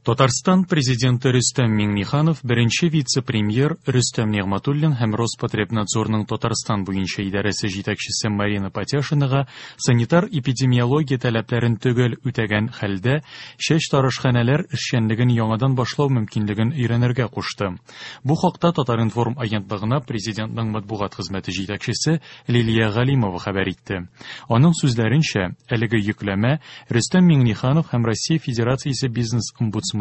Татарстан Президенты Рөстәм Миңнеханов беренче вице-премьер Рөстәм Нигъмәтуллин һәм Роспотребнадзорның Татарстан буенча идарәсе җитәкчесе Марина Патяшинага санитар-эпидемиология таләпләрен төгәл үтәгән хәлдә чәчтарашханәләр эшчәнлеген яңадан башлау мөмкинлеген өйрәнергә кушты. Бу хакта Татар-информ агентлыгына Президентның матбугат хезмәте җитәкчесе Лилия Галимова хәбәр итте. Аның сүзләренчә, әлеге йөкләмә Рөстәм Миңнеханов һәм Россия Федерациясе бизнес-омбудсмены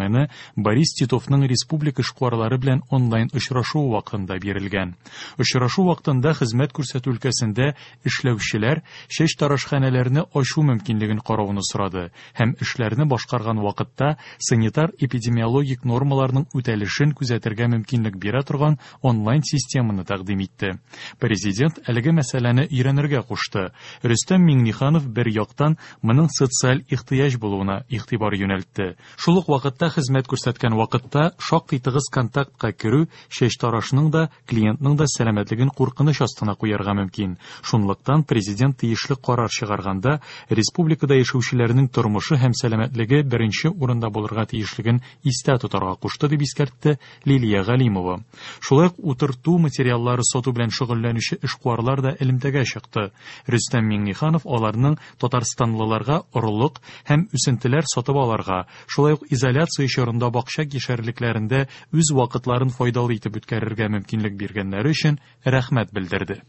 Борис Титовның республика эшкуарлары белән онлайн очрашуы вакытында бирелгән. Очрашу вакытында хезмәт күрсәтү өлкәсендә эшләүчеләр чәчтарашханәләрне ачу мөмкинлеген карауны сорады һәм эшләрне башкарган вакытта санитар-эпидемиологик нормаларның үтәлешен күзәтергә мөмкинлек бирә торган онлайн-системаны тәкъдим итте. Президент әлеге мәсьәләне өйрәнергә кушты. Рөстәм Миңнеханов бер яктан моның социаль ихтыяҗ булуына игътибар юнәлтте. Шул ук вакытта хезмәт күрсәткән вакытта шактый тыгыз контактка керү чәчтарашның да, клиентның да сәламәтлеген куркыныч астына куярга мөмкин. Шунлыктан президент тиешле карар чыгарганда республикада яшәүчеләрнең тормышы һәм сәламәтлеге беренче урында булырга тиешлеген истә тотарга кушты, дип искәртте Лилия Галимова. Шулай ук утырту материаллары сату белән шөгыльләнүче эшкуарлар да элемтәгә чыкты. Рөстәм Миңнеханов аларның татарстанлыларга орлык һәм үсентеләр сатып алырга, шулай ук изоляция чорында бакча кишәрлекләрендә үз вакытларын файдалы итеп үткәрергә мөмкинлек биргәннәре өчен рәхмәт белдерде.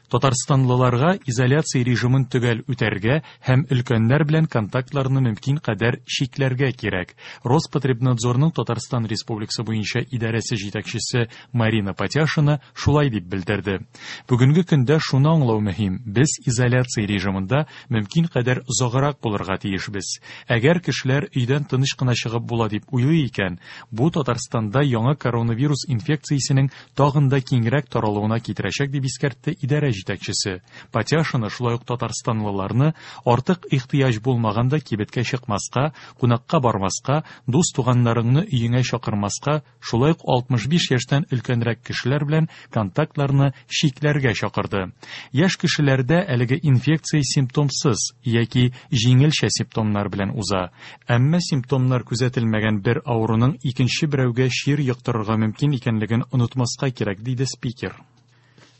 Татарстанлыларга изоляция режимын төгәл үтәргә һәм өлкәннәр белән контактларны мөмкин кадәр чикләргә кирәк. Роспотребнадзорның Татарстан Республикасы буенча идарәсе җитәкчесе Марина Патяшина шулай дип белдерде. Бүгенге көндә шуны аңлау мөһим: без изоляция режимында мөмкин кадәр озаграк булырга тиешбез. Әгәр кешеләр өйдән тыныч кына чыгып була дип уйлый икән, бу Татарстанда яңа коронавирус инфекциясенең тагын да киңрәк таралуына китерәчәк, дип искәртте идарә җитәкчесе. Патяшина шулай ук татарстанлыларны артык ихтыяҗ булмаганда кибеткә чыкмаска, кунакка бармаска, дус-туганнарыңны өеңә чакырмаска, шулай ук 65 яшьтән өлкәнрәк кешеләр белән контактларны чикләргә чакырды. Яшь кешеләрдә әлеге инфекция симптомсыз яки җиңелчә симптомнар белән уза. Әмма симптомнар күзәтелмәгән бер авыруның икенче берәүгә чир йоктырырга мөмкин икәнлеген онытмаска кирәк, диде спикер.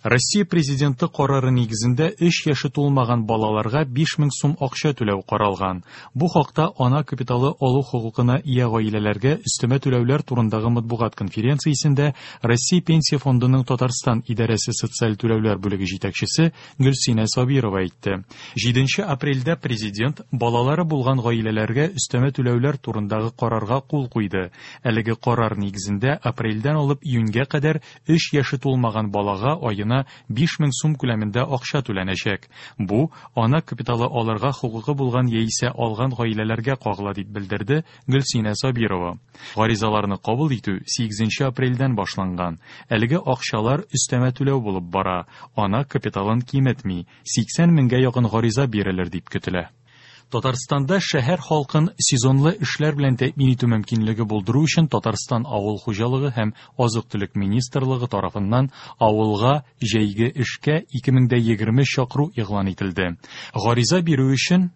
Россия Президенты карары нигезендә 3 яше тулмаган балаларга 5000 сум акча түләү каралган. Бу хакта ана капиталы алу хокукына ия гаиләләргә өстәмә түләүләр турындагы матбугат конференциясендә Россия Пенсия фондының Татарстан идарәсе социаль түләүләр бүлеге җитәкчесе Гөлсинә Сабирова әйтте. 7 апрельдә президент балалары булган гаиләләргә өстәмә түләүләр турындагы карарга кул куйды. Әлеге карар нигезендә апрельдән алып июньгә кадәр 3 яше тулмаган балага аена 5000 сум күләмендә акча түләнәчәк. Бу ана капиталы алырга хокукы булган яисә алган гаиләләргә кагыла, дип белдерде Гөлсинә Сабирова. Гаризаларны кабул итү 8 апрельдән башланган. Әлеге акчалар өстәмә түләү булып бара. Ана капиталын киметми. 80 меңгә якын гариза бирелер дип көтелә. Татарстанда шәһәр халкын сезонлы эшләр белән тәэмин итү мөмкинлеге булдыру өчен Татарстан Авыл хуҗалыгы һәм азык-төлек министрлыгы тарафыннан авылга җәйге эшкә 2020 чакыру игълан ителде. Гариза бирү өчен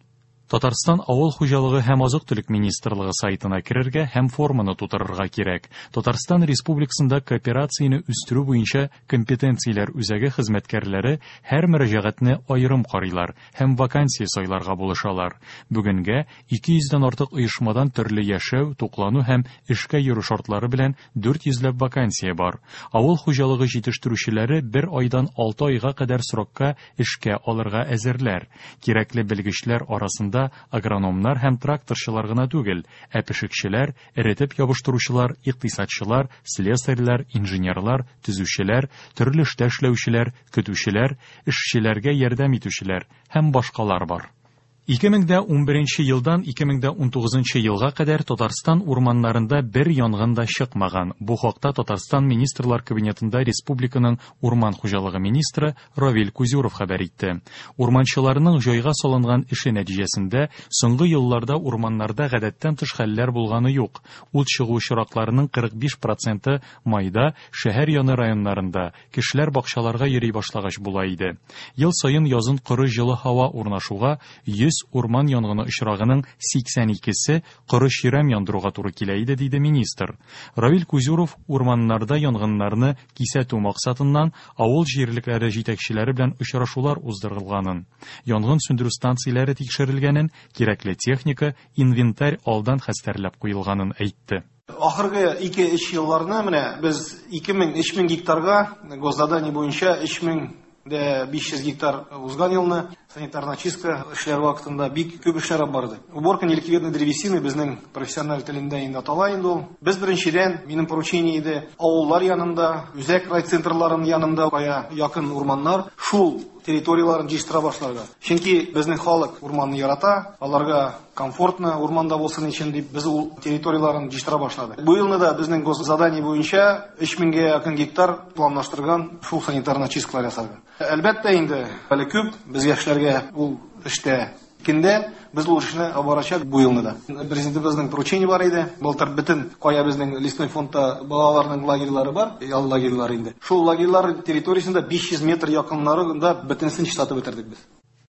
Татарстан Авыл хуҗалыгы һәм азык-төлек министрлыгы сайтына керергә һәм форманы тутырырга кирәк. Татарстан Республикасында кооперацияне үстерү буенча компетенцияләр үзәге хезмәткәрләре һәр мөрәҗәгатьне аерым карыйлар һәм вакансия сайларга булышалар. Бүгенгә 200 дән артык оешмадан төрле яшәү, туклану һәм эшкә йөрү шартлары белән 400 ләп вакансия бар. Авыл хуҗалыгы җитештерүчеләре бер айдан 6 айга кадәр срокка эшкә алырга әзерләр. Кирәкле белгечләр арасында агрономнар һәм тракторчылар гына түгел, ә пешекчеләр, эретеп ябыштыручылар, икътисадчылар, слесарьлар, инженерлар, төзүчеләр, төрле эштә эшләүчеләр, көтүчеләр, эшчеләргә ярдәм итүчеләр һәм башкалар бар. 2011 елдан 2019 елга кадәр Татарстан урманнарында бер янгын да чыкмаган. Бу хакта Татарстан Министрлар Кабинетында республиканың урман хуҗалыгы министры Равил Кузюров хәбәр итте. Урманчыларның җайга салынган эше нәтиҗәсендә соңгы елларда урманнарда гадәттән тыш хәлләр булганы юк. Ут чыгу очракларының 45% майда шәһәр яны районнарында кешеләр бакчаларга йөри башлагач була иде. Ел саен язын коры җылы һава урнашуга 100 100 урман янгыны очрагының 82 се коры чирәм яндыруга туры килә иде, диде министр. Равил Кузюров урманнарда янгыннарны кисәтү максатыннан авыл җирлекләре җитәкчеләре белән очрашулар уздырылганын, янгын сүндерү станцияләре тикшерелгәнен, кирәкле техника, инвентарь алдан хәстәрләп куелганын әйтте. Ахыргы 2-3 елларны менә без 2000-3000 гектарга госзадание буенча 3500 гектар узган елны санитарная чистка эшләре вакытында бик күп эшләр алып барды. Уборка неликвидной древесины безнең профессиональ телендә инде атала инде ул. Без беренчедән, минем поручение иде, авыллар янында, үзәк райцентрларын янында кая якын урманнар, шул территорияләрен җыештыра башларга. Чөнки безнең халык урманны ярата, аларга комфортно урманда булсын өчен дип без ул территорияләрен җыештыра башладык. Бу елны да безнең госзадание буенча 3000гә якын гектар планлаштырган шул санитарная чисткалар ясарга. Әлбәттә инде, әле күп безгә эшләргә ул эштә. Кендә без ул эшне алып барачак бу елны да. Президентыбызның поручение бар иде. Былтыр бөтен кая безнең лесной фондта балаларның лагерьлары бар, ял лагерьлары инде. Шул лагерьлар территориясендә 500 метр якыннарында бөтенесен чистартып бетердек без.